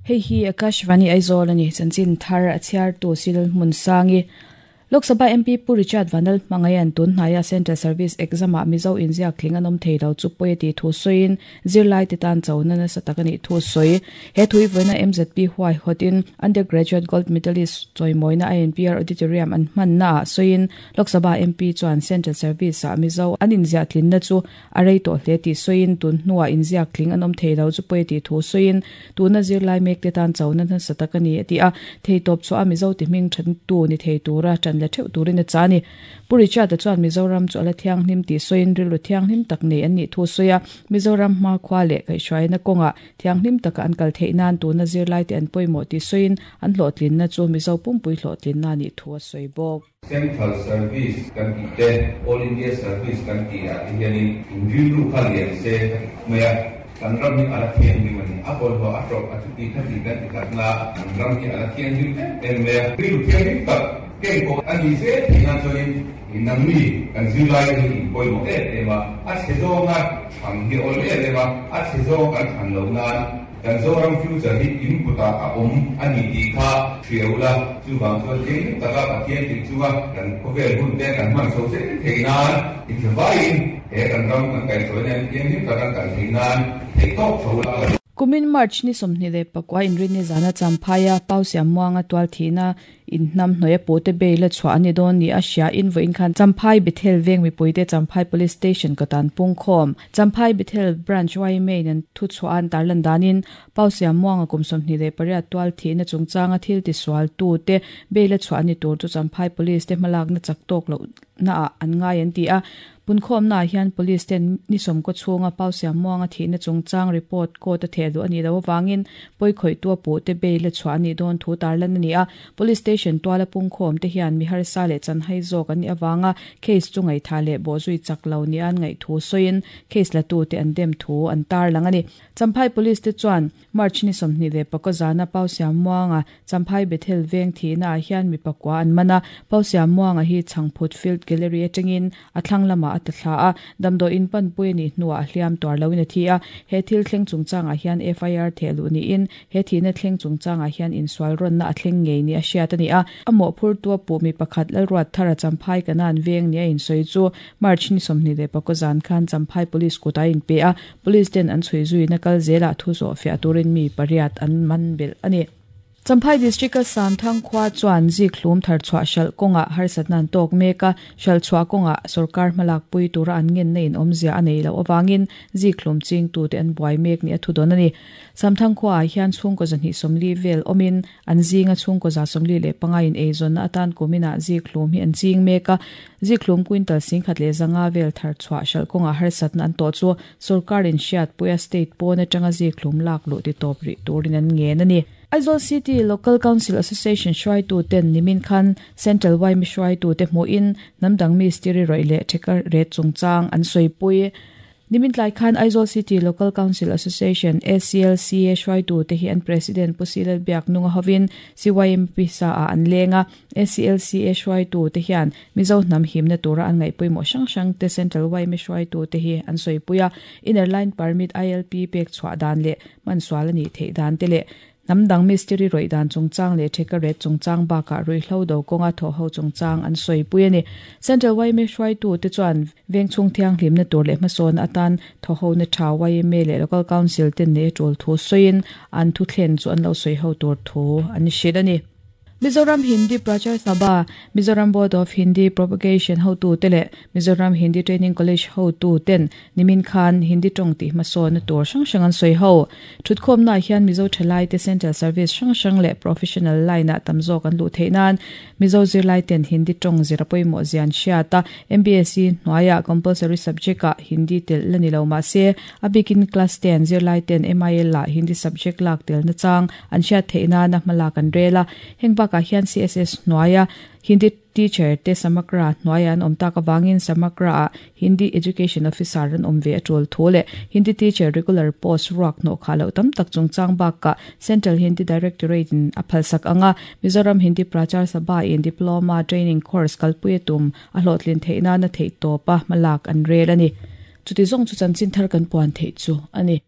Hei hi Akashvani Aizawl a ni, chanchin thar a chhiartu Silal Hmunsangi. Lok Sabha MP Pu Richard Vanal hmangaian tun hnaia Central Service Exam-ah Mizo inziak tling an awm thei lo chu pawi a tih thu sawiin zirlaite tan chona nasa tak a nih thu sawi. He thui vawiina MZP huaihawtin Undergraduate Gold Medalist chawimawina INPR Auditorium an hmannaah sawiin Lok Sabha MP chuan Central Service-ah Mizo an inziah tlinna chu A rei tawh hle tih sawiin tun hnuah inziak tling an awm thei lo chu pawi a tih thu sawiin tuna zirlai mekte tan chona nasa tak a ni a ti a, theitawp chhuah a Mizo ti hming thattu ni thei tura tan la theuh turin a chah a ni. Pu Richard-a chuan Mizoram chu a la thianghlim tih sawiin rilru thianghlim tak nei an nih thu sawi a, Mizoram hmakhua leh kaihhruaina kawngah thianghlim taka an kal theih nan tuna zirlaite an pawimawh tih sawiin an hlawhtlinna chu Mizo pumpui hlawhtlinna a nih thu a sawi bawk. Central Service kan tih te, All India Service kan tih ah te hianin in rilru kha lian se ka ti khawp mai a. Kan ram hi a la thianghlim a ni. A bawlhhlawh a ṭawp a chuti kha ti kan ti tak na, kan ram hi a la thianghlim em em mai a. Rilru thianghlim tak keng pawh a ni zel theih nan chuanin nangni kan zirlai te hi in pawimawh em em a, a chhe zawnga thlan hi a awl em em a, a chhe zawng kan thlan loh nan Kan Zoram future hi in kutah a awm a ni tih kha hria ula, chuvang chuan thianghlim taka Pathian tih chunga kan khawvel hun te kan hman chho zel theih nan inthlavaiin he kan ram kan kaihhruaina hian thianghlim taka kan kal theih nan theihtawp chho ula ka duh. Kumin March ni 21 inrinni zana Champhaia Pau Siammuanga tual thihna In hnam hnuai a pute bail a chhuah a ni dawn ni a hria in vawiin khan Champhai Bethel veng mipuite Champhai Police Station kawtan pungkhawm Champhai Bethel Branch yma in an thu chhuah a an tarlan danin Pau Siammuanga kum 28 tual thihna chungchanga thil tisual tute bail a chhuah a ni tur chu Champhai Police te hmalakna chak tawk lohna ah an ngai an ti a. Punkhawmnaah hian Police ten ni sawmkaw chhunga Pau Siammuanga thihna chungchang report court a theh duh a nih loh avangin pawikhawihtu a puhte bail a chhuah a nih dawn thu tarlan a ni a. Police station tuala pungkhawmte hian mi harsa leh chanhai zawk an nih avanga case chu ngaihthah leh bawhzui chak lo nia an ngaih thu sawiin case latute an dem thu an tarlang a ni. Champhai Police te chuan March ni 24 zana Pau Siammuanga Champhai Bethel veng thihnaah hian mi pakua an man a, Pau Siammuanga hi Chhangphut Field Gallery atangin a thlang lamah a ta thla a, damdawiin panpui a nih hnuah a hliam tuar loin a thi a. He thil thleng chungchangah hian FIR theh luh niin he thihna thleng chungchangah hian insual rawnna a thleng ngei ni a hriat a ni a. A mawhphurtu a puh mi pakhat Lalruat Thara Champhai Kanan veng ni a insawi chu March ni 24 zan khan Champhai Police kutah a inpe a, Police ten an chhui zuina kal zelah thu zawh fiah turin mi pariat an man belh a ni. Champhai District-a Samthang khua chuan zik hlum thar chhuah hralh kawngah harsatna an tawk mek a, hralh chhuah kawngah sorkar hmalak pui tura an ngenna in awmzia a nei loh avangin zik hlum chingtute an buai mek ni a thu dawn a ni. Samthang khuaah hian chhungkaw 240 vel awmin An zinga chhungkaw 45 in eizawnna atan kuminah zikhlum hi an ching mek a, zikhlum quintal 1500 vel thar chhuah hralh kawngah harsatna an tawh chu sorkarin hriatpuia state pawn atanga zikhlum lak luh ti tawp rih turin an ngen a ni. Aizawl City Local Council Association hruaituten nimin khan Central yma hruaitute hmuhin hnamdang mistiri rawih leh theka ret chungchang an sawipui. Nimin tlai khan Aizawl City Local Council Association, ACLCA, hruaitute hi an President Pu Silal Biaknunga hovin CYMP sa ah an leng a. ACLCA hruaitute hian Mizo hnam himna tura an ngaih pawimawh hrang hrang te Central yma hruaitute hi an sawipui a. Inner Line Permit, ILP, pek chhuah dan leh hmansual a nih theih dan te leh Hnam dang mistiri rawih dan chungchang leh theka ret chungchang bakah ruihhlo do kawnga thawhho chungchang an sawipui a ni. Central yma hruaitute chuan vengchhung thianghlimna tur leh hmasawnna atan thawhhona tha yma leh Local Council ten nei a tul thu sawiin an thuthlen chu an lo sawiho tur thu an hrilh a ni. Mizoram Hindi Prachar Sabha, Mizoram Board of Hindi Propagation hotute leh Mizoram Hindi Training College hotu ten nimin khan Hindi tawng tih hmasawnna tur hrang hrang an sawi ho. Thutkhawmnaah hian Mizo thalaite Central Service hrang hrang leh Professional line-ah tam zawk an luh theih nan Mizo zirlai ten Hindi tawng zir a pawimawh zia an hriat a, MBSE hnuaiah compulsory subject-ah Hindi telh la ni lo mahse a bikin Class ten zirlai ten MIL-ah Hindi subject lak telna chang an hriat theih nana hmalak an rel a. Heng bakah hian CSS hnuaia Hindi teacher te Samakra hnuaiah an awm tak avangin Samakra-ah Hindi Education Officer an awm ve a tul thu leh Hindi teacher regular post ruak hnawh khah loh tam tak chungchang bakah Central Hindi Directorate in a phalsak anga Mizoram Hindi Prachar Sabha in Diploma Training Course kalpui a tum a hlawhtlin theih nana theihtawpa hmalak an rel a ni. Chuti zawng chu chanchin thar kan puan theih chu a ni.